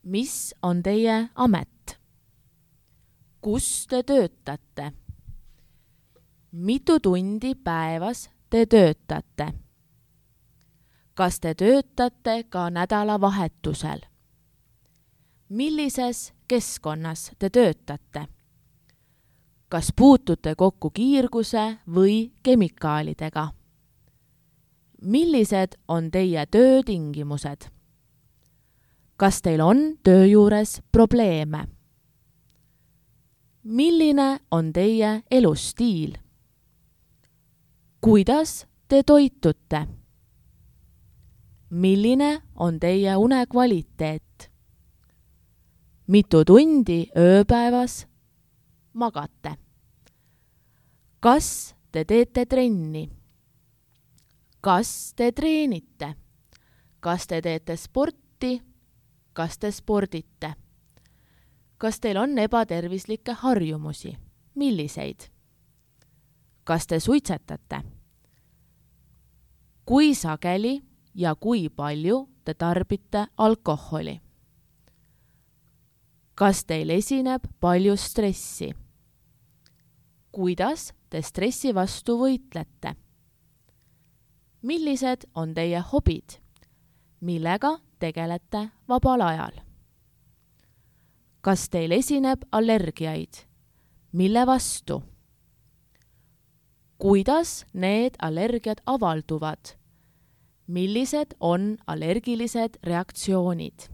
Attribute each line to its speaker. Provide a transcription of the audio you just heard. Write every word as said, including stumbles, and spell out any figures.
Speaker 1: Mis on teie amet? Kus te töötate? Mitu tundi päevas te töötate? Kas te töötate ka nädalavahetusel? Millises keskkonnas te töötate? Kas puutute kokku kiirguse või kemikaalidega? Millised on teie töötingimused? Kas teil on töö juures probleeme? Milline on teie elustiil? Kuidas te toitute? Milline on teie unekvaliteet? Mitu tundi ööpäevas magate? Kas te teete trenni? Kas te treenite? Kas te teete sporti? Kas te spordite? Kas teil on ebatervislikke harjumusi? Milliseid? Kas te suitsetate? Kui sageli ja kui palju te tarbite alkoholi? Kas teil esineb palju stressi? Kuidas te stressi vastu võitlete? Millised on teie hobid? Millega tegelete vabal ajal? Kas teil esineb allergiaid? Mille vastu? Kuidas need allergiad avalduvad? Millised on allergilised reaktsioonid?